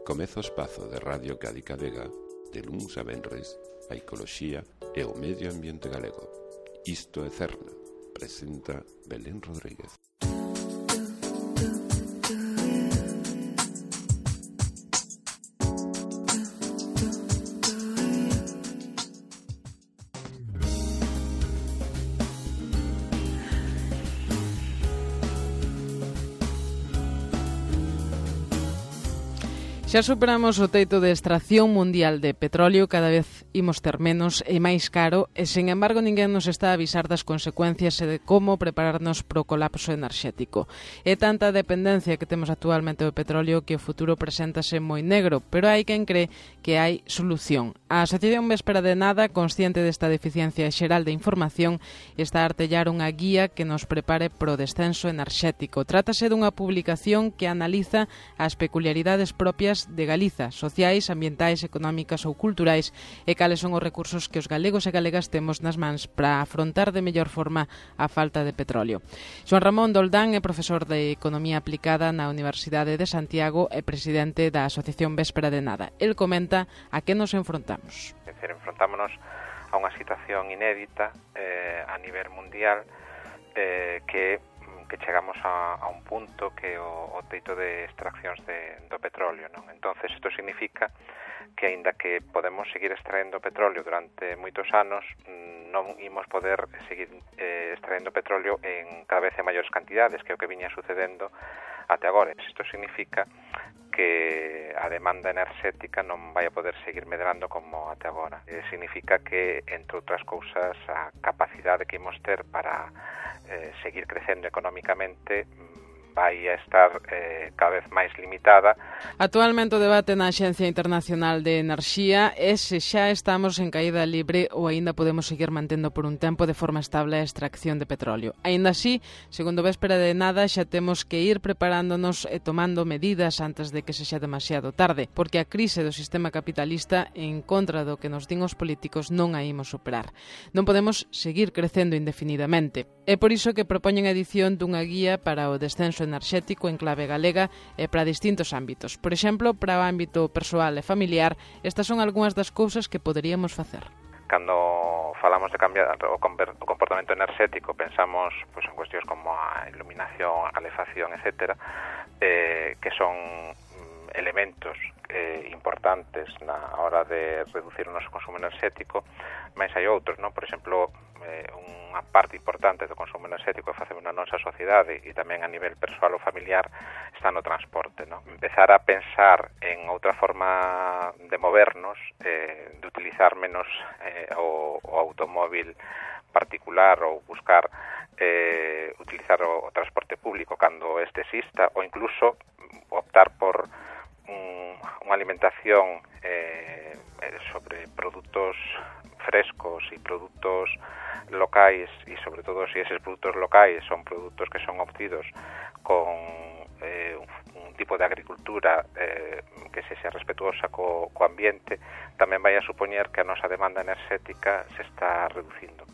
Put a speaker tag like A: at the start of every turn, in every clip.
A: Comeza o espazo de Radio Cádica Vega, de luns a venres, a ecoloxía e o medio ambiente galego. Isto é Cerna, presenta Belén Rodríguez.
B: Xa superamos o teito de extracción mundial de petróleo, cada vez imos ter menos e máis caro, e, sen embargo, ninguén nos está a avisar das consecuencias e de como prepararnos para o colapso enerxético. É tanta a dependencia que temos actualmente do petróleo que o futuro preséntase moi negro, pero hai quen cree que hai solución. A Asociación Véspera de Nada, consciente desta deficiencia xeral de información, está a artellar unha guía que nos prepare pro descenso enerxético. Trátase dunha publicación que analiza as peculiaridades propias de Galiza, sociais, ambientais, económicas ou culturais, e cales son os recursos que os galegos e galegas temos nas mans para afrontar de mellor forma a falta de petróleo. Joan Ramón Doldán é profesor de Economía Aplicada na Universidade de Santiago e presidente da Asociación Véspera de Nada. El comenta a que nos enfrontamos.
C: Enfrontámonos a unha situación inédita a nivel mundial que chegamos a un punto que o teito de extraccións do petróleo, non? Entonces, isto significa que, aínda que podemos seguir extraendo petróleo durante moitos anos, non imos poder seguir extraendo petróleo en cada vez en maiores cantidades, que é o que viña sucedendo até agora. Isto significa que a demanda enerxética non vai a poder seguir medrando como até agora. Significa que, entre outras cousas, a capacidade que imos ter para seguir crecendo económicamente vai a estar cada vez máis limitada.
B: Actualmente o debate na Axencia Internacional de Enerxía é se xa estamos en caída libre ou aínda podemos seguir mantendo por un tempo de forma estable a extracción de petróleo. Aínda así, segundo Véspera de Nada, xa temos que ir preparándonos e tomando medidas antes de que sexa demasiado tarde, porque a crise do sistema capitalista, en contra do que nos din os políticos, non a imos superar. Non podemos seguir crecendo indefinidamente. É por iso que propoñen a edición dunha guía para o descenso enerxético en clave galega e para distintos ámbitos. Por exemplo, para o ámbito persoal e familiar, estas son algunhas das cousas que poderíamos facer.
C: Cando falamos de cambiar o comportamento enerxético, pensamos en cuestións como a iluminación, a calefacción, etc., que son elementos importantes na hora de reducir o noso consumo enerxético, mas hai outros, non? Por exemplo, unha parte importante do consumo enerxético que facemos na nosa sociedade e tamén a nivel persoal ou familiar está no transporte, non? Empezar a pensar en outra forma de movernos, de utilizar menos o automóvil particular ou buscar utilizar o transporte público cando este exista, ou incluso optar por unha alimentación sobre produtos frescos e produtos locais, e sobre todo se eses produtos locais son produtos que son obtidos con un tipo de agricultura que sexa respetuosa co ambiente, tamén vai a supoñer que a nosa demanda enerxética se está reducindo.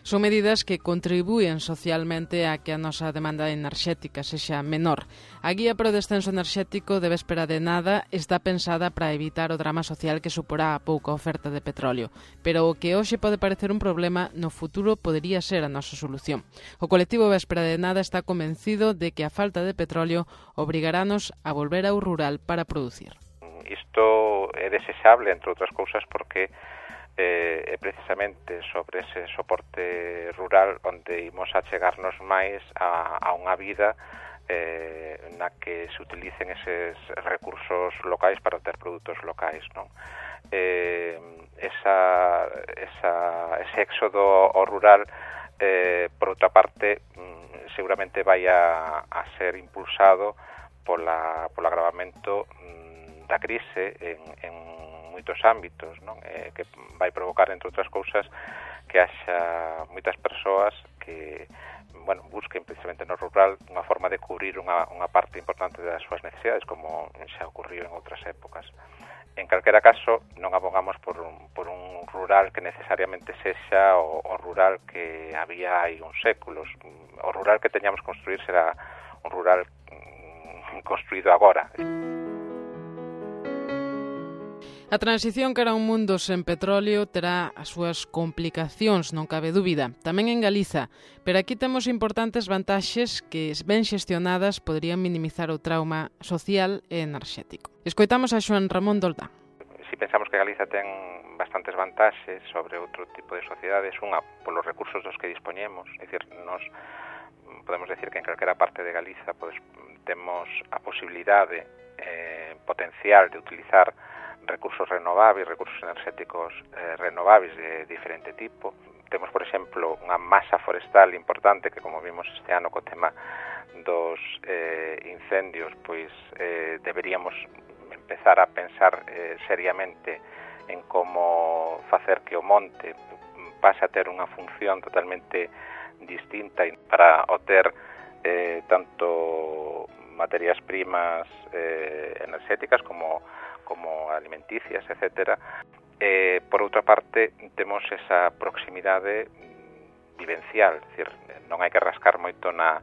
B: Son medidas que contribúen socialmente a que a nosa demanda enerxética sexa menor. A guía para o descenso enerxético de Véspera de Nada está pensada para evitar o drama social que suporá a pouca oferta de petróleo, pero o que hoxe pode parecer un problema, no futuro podería ser a nosa solución. O colectivo Véspera de Nada está convencido de que a falta de petróleo obrigarános a volver ao rural para producir.
C: Isto é desexable, entre outras cousas, porque é precisamente sobre ese soporte rural onde imos a chegarnos máis a unha vida na que se utilicen eses recursos locais para obter produtos locais, non? Ese éxodo ao rural, por outra parte, seguramente vai a ser impulsado polo agravamento da crise en moitos ámbitos, non? Que vai provocar, entre outras cousas, que haxa moitas persoas que busquen precisamente no rural unha forma de cubrir unha parte importante das súas necesidades, como xa ocurriu en outras épocas. En calquera caso, non abogamos por un rural que necesariamente sexa o rural que había hai uns séculos. O rural que teñamos que construir será un rural construído agora.
B: A transición cara a un mundo sen petróleo terá as súas complicacións, non cabe dúbida, tamén en Galiza, pero aquí temos importantes vantaxes que, ben xestionadas, poderían minimizar o trauma social e enerxético. Escoitamos a Xoán Ramón Doldán.
C: Si pensamos que Galiza ten bastantes vantaxes sobre outro tipo de sociedades, unha polos recursos dos que dispoñemos, é dicir, nos podemos decir que en calquera parte de Galiza temos a posibilidade potencial de utilizar recursos renováveis, recursos enerxéticos renováveis de diferente tipo. Temos, por exemplo, unha masa forestal importante que, como vimos este ano co tema dos incendios, pois deberíamos empezar a pensar seriamente en como facer que o monte pase a ter unha función totalmente distinta para obter tanto materias primas enerxéticas como alimenticias, etcétera. Por outra parte, temos esa proximidade vivencial, é dicir, non hai que rascar moito na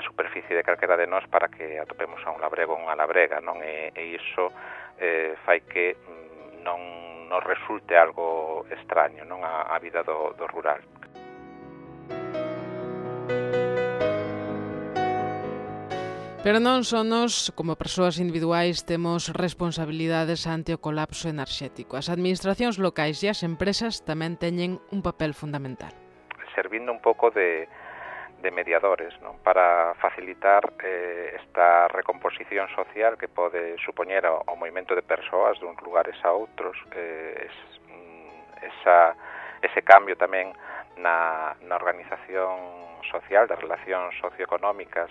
C: superficie de calquera de nós para que atopemos a un labrego ou unha labrega, non? E iso fai que non nos resulte algo extraño, non, a vida do rural.
B: Pero non só nós, como persoas individuais, temos responsabilidades ante o colapso enerxético. As administracións locais e as empresas tamén teñen un papel fundamental.
C: Servindo un pouco de mediadores, non, para facilitar esta recomposición social que pode supoñer o movimento de persoas de uns lugares a outros, ese cambio tamén na organización social, das relacións socioeconómicas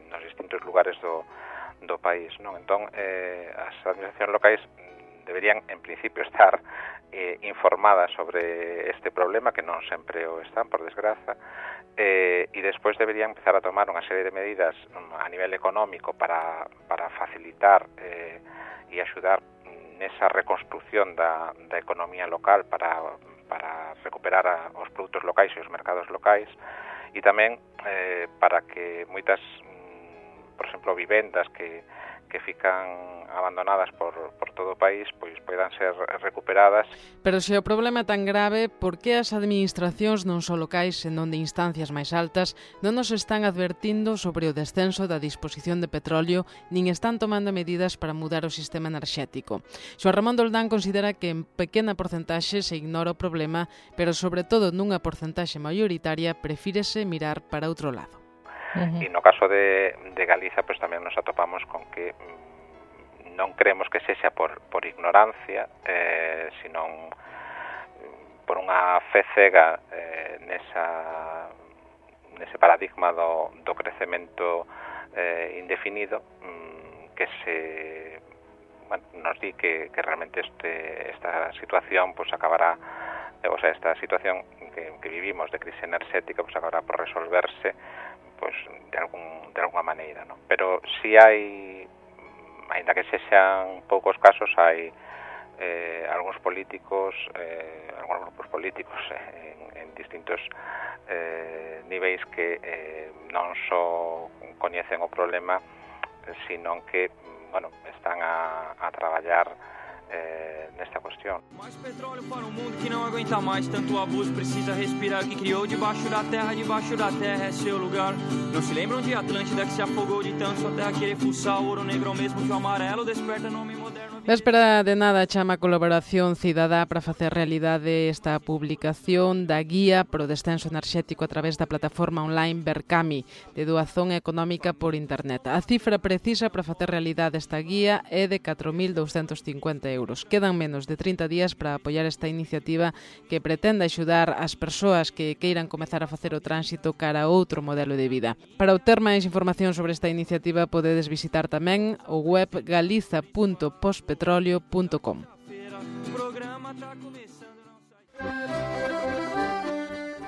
C: nos distintos lugares do país, non? Entón, as administracións locais deberían, en principio, estar informadas sobre este problema, que non sempre o están, por desgraza, e despois deberían empezar a tomar unha serie de medidas a nivel económico para facilitar e axudar nesa reconstrucción da economía local para recuperar os produtos locais e os mercados locais, e tamén para que moitas, por exemplo, vivendas que fican abandonadas por todo o país, pois poidan ser recuperadas.
B: Pero se o problema é tan grave, por que as administracións non só locais, senón de instancias máis altas, non nos están advertindo sobre o descenso da disposición de petróleo, nin están tomando medidas para mudar o sistema enerxético? Xoán Ramón Doldán considera que en pequena porcentaxe se ignora o problema, pero sobre todo nunha porcentaxe maioritaria prefírese mirar para outro lado.
C: E no caso de Galiza, pues tamén nos atopamos con que non creemos que sexa por ignorancia, senón por unha fe cega nese paradigma do crecemento indefinido, que nos di que realmente esta situación pues acabará, o sea, esta situación que vivimos de crise enerxética pues acabará por resolverse pues de alguna maneira, ¿no? Pero si hai, aínda que sexan poucos casos, hai algúns políticos, algúns grupos políticos en distintos niveis que non só coñecen o problema, sino que, bueno, están a traballar nesta cuestión.
D: Mais petróleo para um mundo que não aguenta mais tanto abuso, precisa respirar o que criou debaixo da terra é seu lugar. Não se lembram de Atlântida que se afogou de tanto sua terra querer fuçar o ouro negro mesmo que o amarelo desperta nome moderno.
B: Véspera de nada chama a colaboración cidadá para facer realidade esta publicación da guía pro descenso enerxético a través da plataforma online Berkami de doazón económica por internet. A cifra precisa para facer realidade esta guía é de 4.250 euros. Quedan menos de 30 días para apoiar esta iniciativa que pretende axudar as persoas que queiran comezar a facer o tránsito cara a outro modelo de vida. Para obter máis información sobre esta iniciativa podedes visitar tamén o web galiza.pospetroleo.com.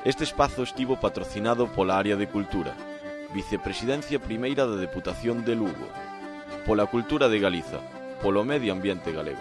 E: Este espazo estivo patrocinado pola Área de Cultura, Vicepresidencia Primeira da Deputación de Lugo, pola Cultura de Galiza, polo Medio Ambiente Galego.